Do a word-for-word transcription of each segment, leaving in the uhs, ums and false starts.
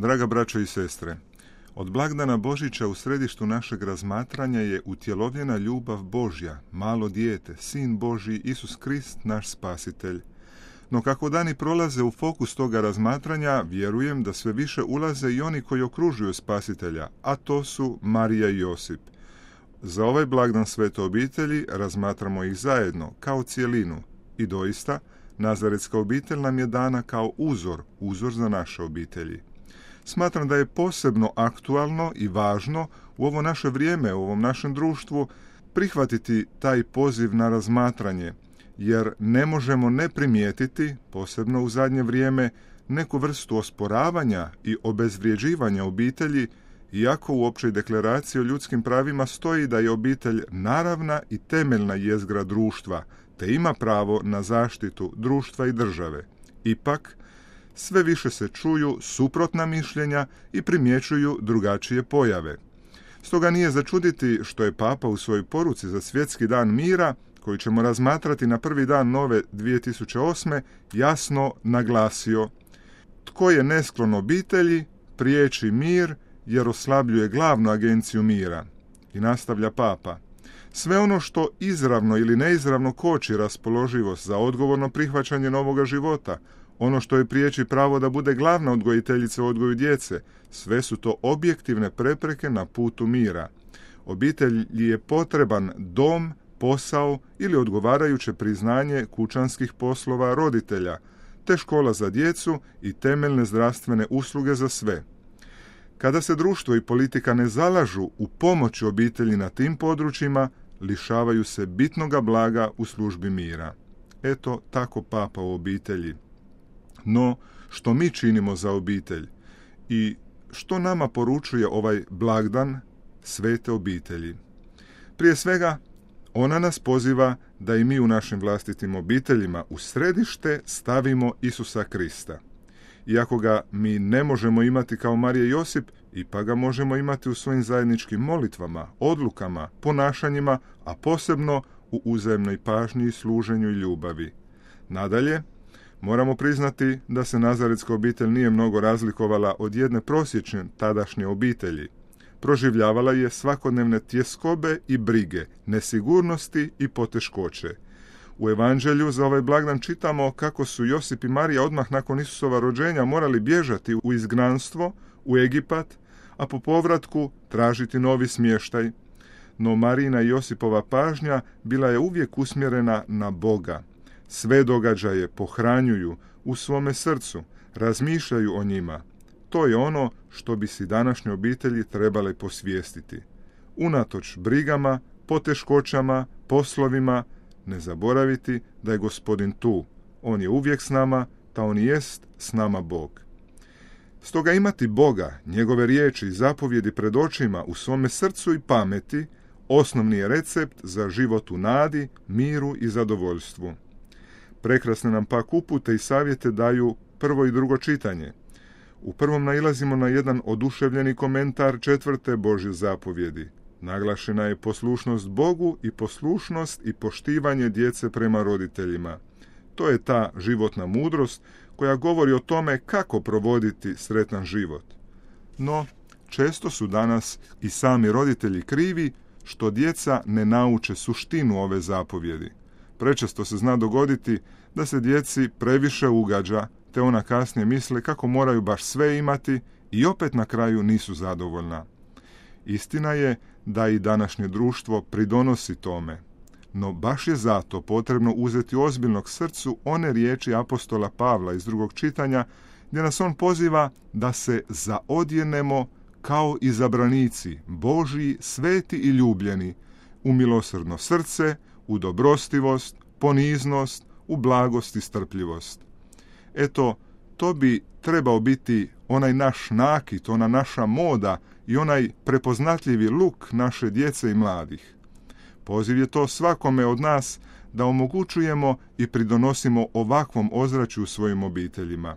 Draga braćo i sestre, od blagdana Božića u središtu našeg razmatranja je utjelovljena ljubav Božja, malo dijete, Sin Božji, Isus Krist, naš spasitelj. No kako dani prolaze u fokus toga razmatranja, vjerujem da sve više ulaze i oni koji okružuju spasitelja, a to su Marija i Josip. Za ovaj blagdan Svete obitelji razmatramo ih zajedno, kao cjelinu, i doista, Nazaretska obitelj nam je dana kao uzor, uzor za naše obitelji. Smatram da je posebno aktualno i važno u ovo naše vrijeme, u ovom našem društvu, prihvatiti taj poziv na razmatranje, jer ne možemo ne primijetiti, posebno u zadnje vrijeme, neku vrstu osporavanja i obezvrjeđivanja obitelji, iako u općoj deklaraciji o ljudskim pravima stoji da je obitelj naravna i temeljna jezgra društva, te ima pravo na zaštitu društva i države. Ipak, sve više se čuju suprotna mišljenja i primjećuju drugačije pojave. Stoga nije začuditi što je Papa u svojoj poruci za Svjetski dan mira, koji ćemo razmatrati na prvi dan nove dvije tisuće osme, jasno naglasio: tko je nesklon obitelji, priječi mir, jer oslabljuje glavnu agenciju mira. I nastavlja Papa: sve ono što izravno ili neizravno koči raspoloživost za odgovorno prihvaćanje novoga života, ono što je priječi pravo da bude glavna odgojiteljica u odgoju djece, sve su to objektivne prepreke na putu mira. Obitelji je potreban dom, posao ili odgovarajuće priznanje kućanskih poslova roditelja, te škola za djecu i temeljne zdravstvene usluge za sve. Kada se društvo i politika ne zalažu u pomoći obitelji na tim područjima, lišavaju se bitnoga blaga u službi mira. Eto, tako Papa o obitelji. No, što mi činimo za obitelj i što nama poručuje ovaj blagdan Svete obitelji? Prije svega, ona nas poziva da i mi u našim vlastitim obiteljima u središte stavimo Isusa Krista. Iako ga mi ne možemo imati kao Marija i Josip, ipak ga možemo imati u svojim zajedničkim molitvama, odlukama, ponašanjima, a posebno u uzajamnoj pažnji i služenju i ljubavi. Nadalje, moramo priznati da se Nazaretska obitelj nije mnogo razlikovala od jedne prosječne tadašnje obitelji. Proživljavala je svakodnevne tjeskobe i brige, nesigurnosti i poteškoće. U Evanđelju za ovaj blagdan čitamo kako su Josip i Marija odmah nakon Isusova rođenja morali bježati u izgnanstvo, u Egipat, a po povratku tražiti novi smještaj. No Marijina i Josipova pažnja bila je uvijek usmjerena na Boga. Sve događaje pohranjuju u svome srcu, razmišljaju o njima. To je ono što bi si današnje obitelji trebale posvijestiti. Unatoč brigama, poteškoćama, poslovima, ne zaboraviti da je Gospodin tu. On je uvijek s nama, ta on jest s nama Bog. Stoga imati Boga, njegove riječi i zapovjedi pred očima u svome srcu i pameti, osnovni je recept za život u nadi, miru i zadovoljstvu. Prekrasne nam pak upute i savjete daju prvo i drugo čitanje. U prvom nailazimo na jedan oduševljeni komentar četvrte Božje zapovjedi. Naglašena je poslušnost Bogu i poslušnost i poštivanje djece prema roditeljima. To je ta životna mudrost koja govori o tome kako provoditi sretan život. No, često su danas i sami roditelji krivi što djeca ne nauče suštinu ove zapovjedi. Prečesto se zna dogoditi da se djeci previše ugađa, te ona kasnije misle kako moraju baš sve imati i opet na kraju nisu zadovoljna. Istina je da i današnje društvo pridonosi tome, no baš je zato potrebno uzeti ozbiljno k srcu one riječi apostola Pavla iz drugog čitanja, gdje nas on poziva da se zaodjenemo kao izabranici, Božji, sveti i ljubljeni, u milosrdno srce, u dobrostivost, poniznost, u blagost i strpljivost. Eto, to bi trebao biti onaj naš nakit, ona naša moda i onaj prepoznatljivi luk naše djece i mladih. Poziv je to svakome od nas da omogućujemo i pridonosimo ovakvom ozračju u svojim obiteljima.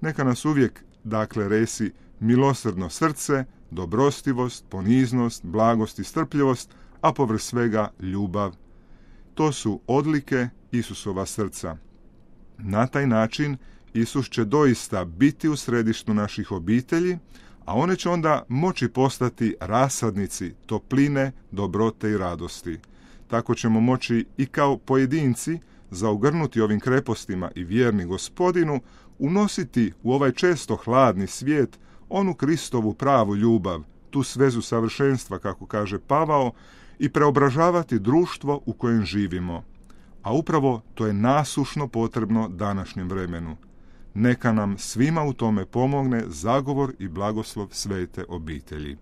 Neka nas uvijek, dakle, resi milosrdno srce, dobrostivost, poniznost, blagost i strpljivost, a povrh svega ljubav. To su odlike Isusova srca. Na taj način Isus će doista biti u središtu naših obitelji, a one će onda moći postati rasadnici topline, dobrote i radosti. Tako ćemo moći i kao pojedinci, zaogrnuti ovim krepostima i vjerni Gospodinu, unositi u ovaj često hladni svijet onu Kristovu pravu ljubav, tu svezu savršenstva, kako kaže Pavao, i preobražavati društvo u kojem živimo. A upravo to je nasušno potrebno današnjem vremenu. Neka nam svima u tome pomogne zagovor i blagoslov svete obitelji.